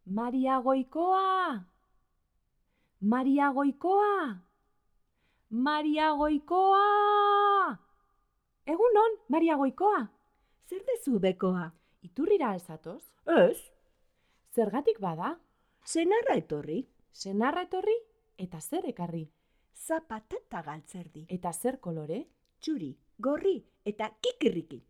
Maria Goikoa! Maria Goikoa! Maria Goikoa! Egunon, Maria Goikoa! Zer dezu bekoa? Iturrira alzatoz? Ez, Zergatik bada? senarra etorri. Senarra etorri eta zer ekarri? Zapata eta galtzerdi. Eta zer kolore? Txuri, gorri eta kikirriki.